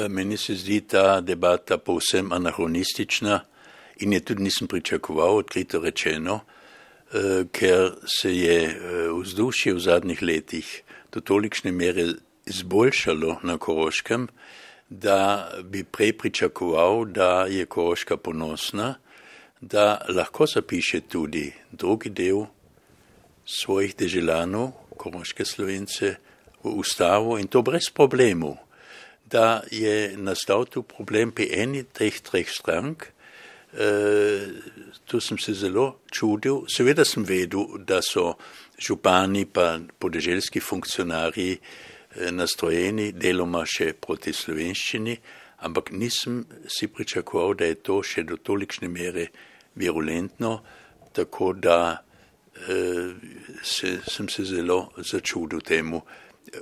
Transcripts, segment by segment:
Meni se zdi ta debata povsem anahronistična in je tudi nisem pričakoval, odkrito rečeno, ker se je vzdušje v zadnjih letih do tolikšne mere izboljšalo na Koroškem, da bi prej pričakoval, da je Koroška ponosna, da lahko zapiše tudi drugi del svojih deželanov, koroške Slovence, v ustavo in to brez problemov. Da je nastal tu problem pri eni teh treh strank, tu sem se zelo čudil. Seveda sem vedel, da so župani pa podeželski funkcionarji nastrojeni deloma še proti slovenščini, ampak nisem si pričakoval, da je to še do tolikšne mere virulentno, tako da sem se zelo začudil temu.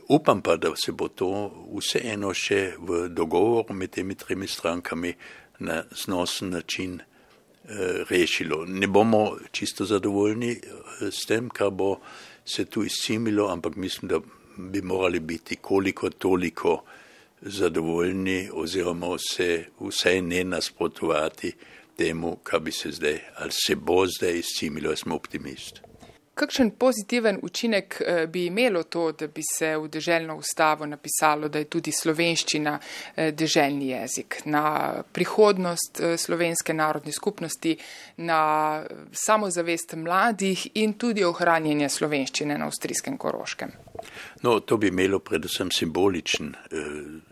Upam pa, da se bo to vseeno še v dogovoru med temi tremi strankami na znosen način rešilo. Ne bomo čisto zadovoljni s tem, kar bo se tu izcimilo, ampak mislim, da bi morali biti koliko toliko zadovoljni oziroma se vsaj ne nasprotovati temu, kar bi se zdaj ali se bo zdaj izcimilo, jaz sem optimist. Kakšen pozitiven učinek bi imelo to, da bi se v deželno ustavo napisalo, da je tudi slovenščina deželni jezik, na prihodnost slovenske narodne skupnosti, na samozavest mladih in tudi ohranjanje slovenščine na avstrijskem Koroškem? No, to bi imelo predvsem simboličen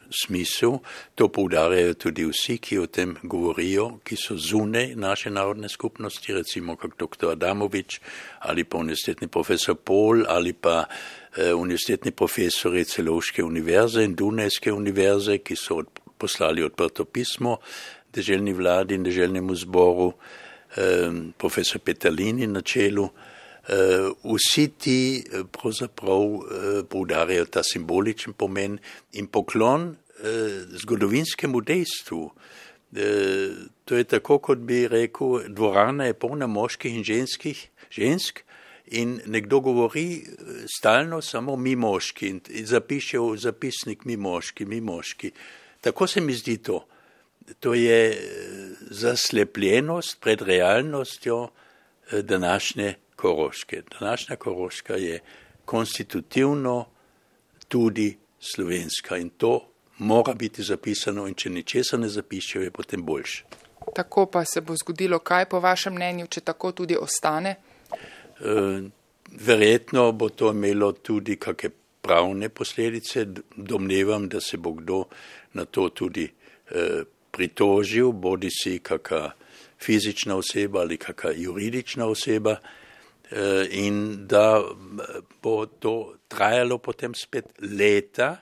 smisel. To poudarjajo tudi vsi, ki o tem govorijo, ki so zunaj naše narodne skupnosti, recimo kot dr. Adamovič ali pa univerzitetni profesor Pol ali pa univerzitetni profesori Celovške univerze in Dunajske univerze, ki so poslali odprto pismo deželni vladi in deželnemu zboru, profesor Petalini na čelu. Vsi ti pravzaprav poudarjajo ta simboličen pomen in poklon zgodovinskemu dejstvu. To je tako, kot bi rekel, dvorana je polna moških in žensk in nekdo govori stalno samo mi moški in zapiše v zapisnik mi moški. Tako se mi zdi to. To je zaslepljenost pred realnostjo današnje Koroške. Današnja Koroška je konstitutivno tudi slovenska in to mora biti zapisano in če ničesa ne zapišejo, je potem boljše. Tako pa se bo zgodilo kaj po vašem mnenju, če tako tudi ostane? Verjetno bo to imelo tudi kakšne pravne posledice. Domnevam, da se bo kdo na to tudi pritožil, bodisi kakšna fizična oseba ali kakšna juridična oseba, in da bo to trajalo potem spet leta,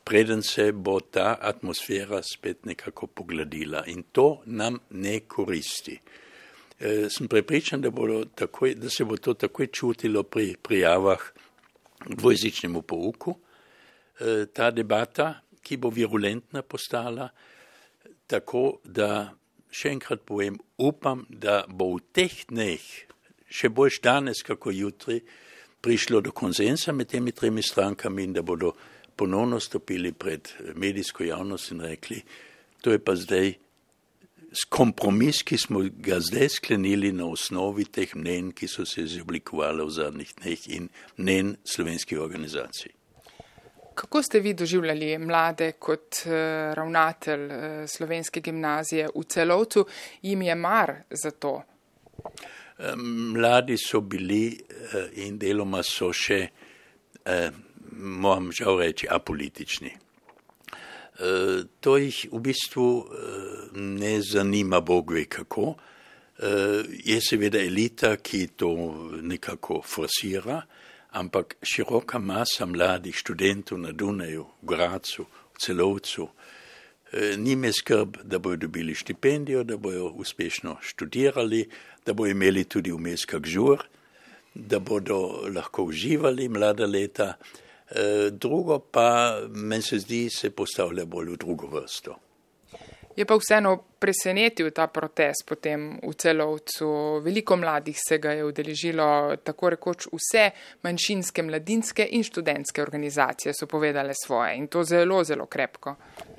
preden se bo ta atmosfera spet nekako pogladila in to nam ne koristi. Sem prepričan, da se bo to takoj čutilo pri prijavah k dvojezičnemu pouku. Ta debata, ki bo virulentna postala, tako da še enkrat povem, upam, da bo v teh dneh, še boljš danes kako jutri, prišlo do konsensa med temi tremi strankami in da bodo ponovno stopili pred medijsko javnost in rekli, to je pa zdaj kompromis, ki smo ga zdaj sklenili na osnovi teh mnenj, ki so se izoblikovali v zadnjih dneh in mnenj slovenskih organizacij. Kako ste vi doživljali mlade kot ravnatelj slovenske gimnazije v Celovcu? Jim je mar za to? Mladi so bili in deloma so še, moram žal reči, apolitični. To jih v bistvu ne zanima Bog ve kako. Je seveda elita, ki to nekako forsira, ampak široka masa mladih študentov na Dunaju, v Gradcu, v Celovcu, ni me skrb, da bojo dobili štipendijo, da bojo uspešno študirali, da bojo imeli tudi vmes kak žur, da bodo lahko uživali mlada leta. Drugo pa, meni se zdi, se postavlja bolj v drugo vrsto. Je pa vseeno presenetil ta protest potem v Celovcu. Veliko mladih se ga je udeležilo, tako rekoč vse manjšinske, mladinske in študentske organizacije so povedale svoje in to zelo, zelo krepko.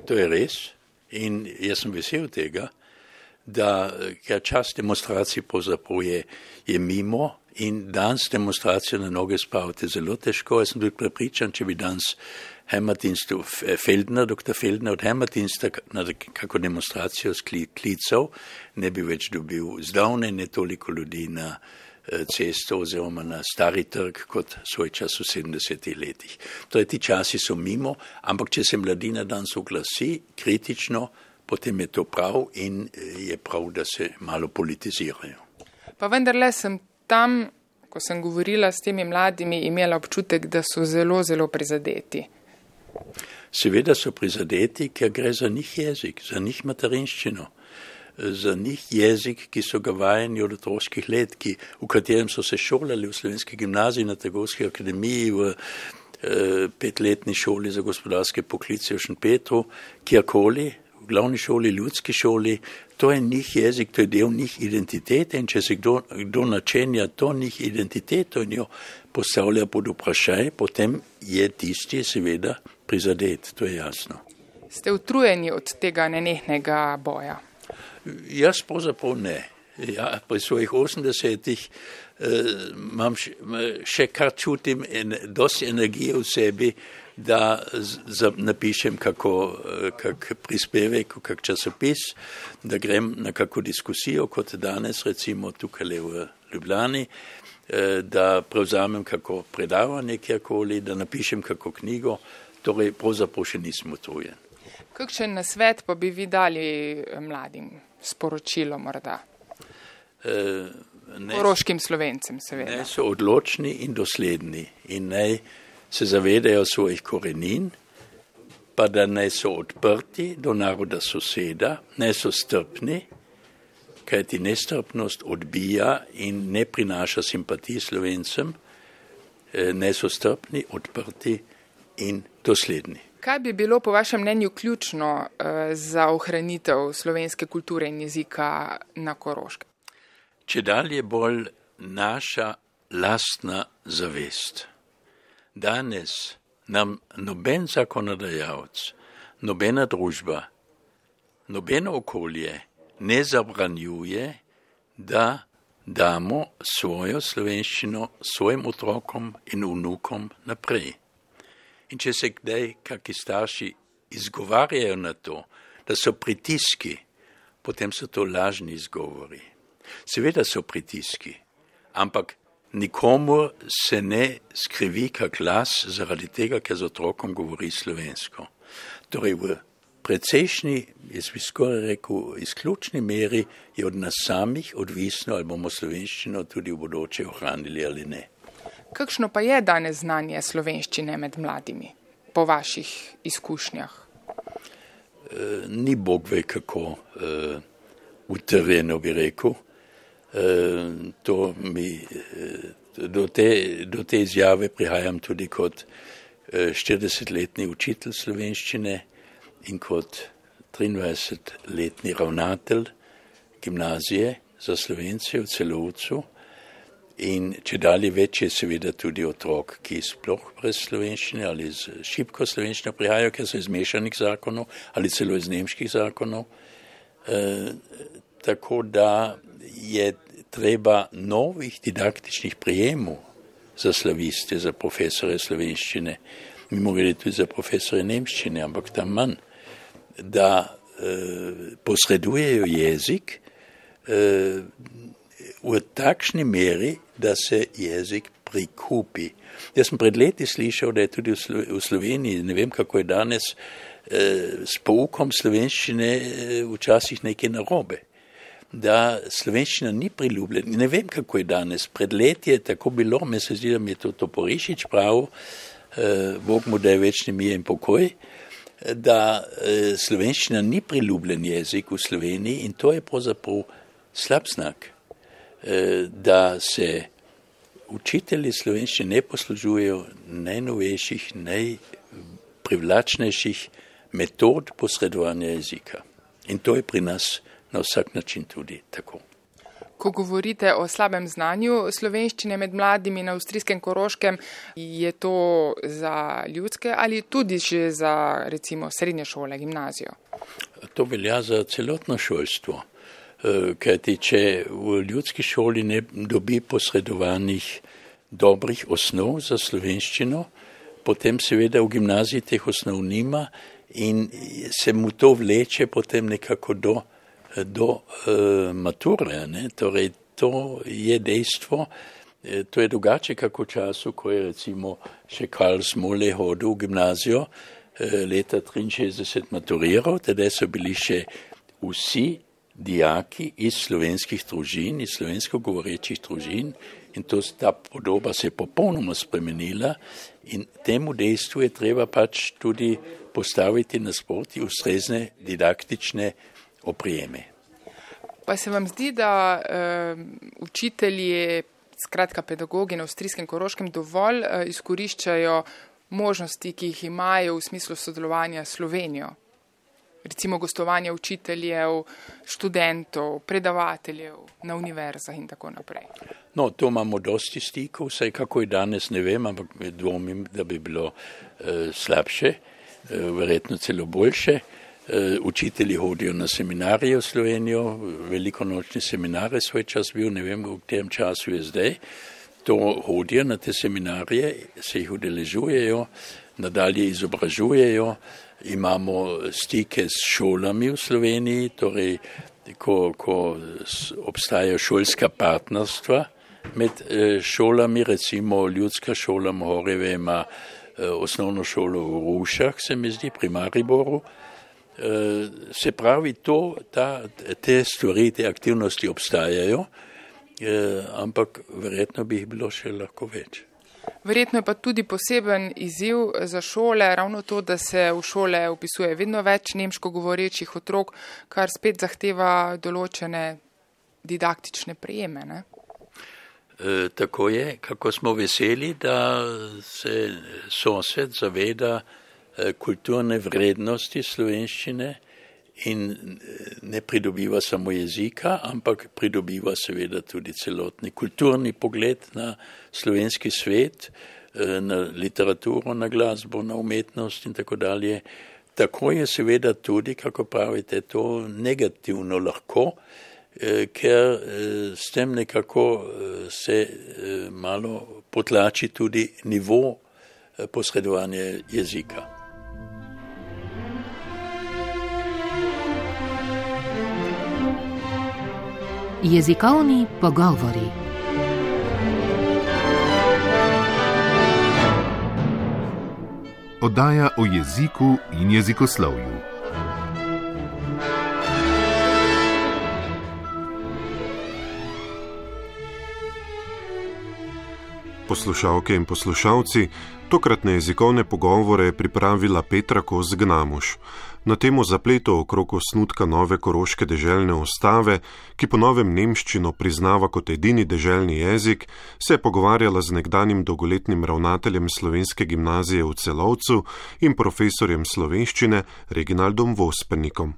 To je res in jaz sem vesel tega, da čas demonstracij pravzaprav je mimo in danes demonstracijo na noge spraviti zelo težko. Jaz sem tudi prepričan, če bi danes Heimatdienstu dr. Feldner od Heimatdiensta na kako demonstracijo sklical, ne bi več dobil zdavne ne toliko ljudi na cesto oziroma na Stari trg kot svoj čas v 70. letih. Torej, ti časi so mimo, ampak če se mladina danes oglasi kritično, potem je to prav in je prav, da se malo politizirajo. Pa vendarle sem tam, ko sem govorila s temi mladimi, imela občutek, da so zelo, zelo prizadeti. Seveda so prizadeti, ker gre za njih jezik, za njih materinščino, za njih jezik, ki so ga vajeni od otroških let, v katerem so se šolali v Slovenski gimnaziji, na Trgovski akademiji, v 5-letni šoli za gospodarske poklice v Šentpetru, kjerkoli, v glavni šoli, ljudski šoli. To je njih jezik, to je del njih identitete in če se kdo načenja to njih identiteto in jo postavlja pod vprašaj, potem je tisti seveda prizadet, to je jasno. Ste utrujeni od tega nenehnega boja? Jaz pravzaprav ne. Ja, pri svojih 80-ih imam še kar čutim dosti energije v sebi, da napišem kak prispevek, kak časopis, da grem na kako diskusijo, kot danes recimo tukaj v Ljubljani, da prevzamem kako predavanje kjerkoli, da napišem kako knjigo, torej pravzaprav še nisem utrujen. Kakšen nasvet pa bi vi dali mladim, sporočilo morda? Koroškim Slovencem, seveda. Naj so odločni in dosledni in naj se zavedajo svojih korenin, pa da naj so odprti do naroda soseda, naj so strpni, kajti nestrpnost odbija in ne prinaša simpatij Slovencem, naj so strpni, odprti in dosledni. Kaj bi bilo po vašem mnenju ključno za ohranitev slovenske kulture in jezika na Koroškem? Čedalje bolj naša lastna zavest. Danes nam noben zakonodajalec, nobena družba, nobeno okolje ne zabranjuje, da damo svojo slovenščino svojim otrokom in vnukom naprej. In če se kdaj kakšni starši izgovarjajo na to, da so pritiski, potem so to lažni izgovori. Seveda so pritiski, ampak nikomu se ne skrivi kak glas zaradi tega, ker z otrokom govori slovensko. Torej v precejšnji, jaz bi skoraj rekel, izključni meri je od nas samih odvisno, ali bomo slovenščino tudi v bodoče ohranili ali ne. Kakšno pa je danes znanje slovenščine med mladimi, po vaših izkušnjah? Ni Bog ve kako utrjeno, bi rekel. Do te izjave prihajam tudi kot 40-letni učitelj slovenščine in kot 23-letni ravnatelj gimnazije za Slovence v Celovcu. In čedalje več je seveda tudi otrok, ki sploh brez slovenščine ali z šibko slovenščino prihajajo, ker so iz mešanih zakonov ali celo iz nemških zakonov. Tako da je treba novih didaktičnih prijemov za slaviste, za profesore slovenščine, mimogrede tudi za profesore nemščine, ampak tam manj, da posredujejo jezik v takšni meri, da se jezik prikupi. Jaz sem pred leti slišal, da je tudi v Sloveniji, ne vem kako je danes, s poukom slovenščine včasih nekaj narobe. Da slovenščina ni priljubljena. Ne vem kako je danes. Pred leti je tako bilo, me se zdi, da mi je to Toporišič prav, Bog mu da je večni mir in pokoj, da slovenščina ni priljubljen jezik v Sloveniji in to je pravzaprav slab znak. Da se učitelji slovenščine ne poslužujejo najnovejših, najprivlačnejših metod posredovanja jezika. In to je pri nas na vsak način tudi tako. Ko govorite o slabem znanju slovenščine med mladimi na avstrijskem Koroškem, je to za ljudske ali tudi že za recimo srednje šole, gimnazijo? To velja za celotno šolstvo, kajti če v ljudski šoli ne dobi posredovanih dobrih osnov za slovenščino, potem seveda v gimnaziji teh osnov nima in se mu to vleče potem nekako do mature, ne? Torej, to je dejstvo, to je drugače kako v času, ko je recimo še Karl Smole hodil v gimnazijo, leta 63 maturiral, teda so bili še vsi dijaki iz slovenskih družin, iz slovensko govorečih družin in ta podoba se je popolnoma spremenila in temu dejstvu je treba pač tudi postaviti nasproti ustrezne didaktične oprijeme. Pa se vam zdi, da učitelji, skratka pedagogi na avstrijskem Koroškem dovolj izkoriščajo možnosti, ki jih imajo v smislu sodelovanja s Slovenijo? Recimo gostovanja učiteljev, študentov, predavateljev na univerzah in tako naprej. No, to imamo dosti stikov, vsaj kako je danes, ne vem, ampak dvomim, da bi bilo slabše, verjetno celo boljše. Učitelji hodijo na seminarije v Slovenijo, velikonočni seminare svoj čas bil, ne vem, v tem času je zdaj. To hodijo na te seminarije, se jih udeležujejo, nadalje izobražujejo, imamo stike s šolami v Sloveniji, torej ko obstajajo šolska partnerstva med šolami, recimo ljudska šola Mohorjeve ima osnovno šolo v Rušah, se mi zdi, pri Mariboru. Se pravi, te stvari, te aktivnosti obstajajo, ampak verjetno bi jih bilo še lahko več. Verjetno je pa tudi poseben izziv za šole, ravno to, da se v šole vpisuje vedno več nemško govorečih otrok, kar spet zahteva določene didaktične prijeme, ne? Tako je, kako smo veseli, da se sosed zaveda kulturne vrednosti slovenščine in ne pridobiva samo jezika, ampak pridobiva seveda tudi celotni kulturni pogled na slovenski svet, na literaturo, na glasbo, na umetnost in tako dalje. Tako je seveda tudi, kako pravite, to negativno lahko, ker s tem nekako se malo potlači tudi nivo posredovanja jezika. Jezikovni pogovori. Oddaja o jeziku in jezikoslovju. Poslušalke in poslušalci, tokratne jezikovne pogovore je pripravila Petra Kos-Gnamuš na temo zapletov okrog osnutka nove koroške deželne ustave, ki po novem nemščino priznava kot edini deželni jezik, se je pogovarjala z nekdanjim dolgoletnim ravnateljem slovenske gimnazije v Celovcu in profesorjem slovenščine Reginaldom Vospernikom.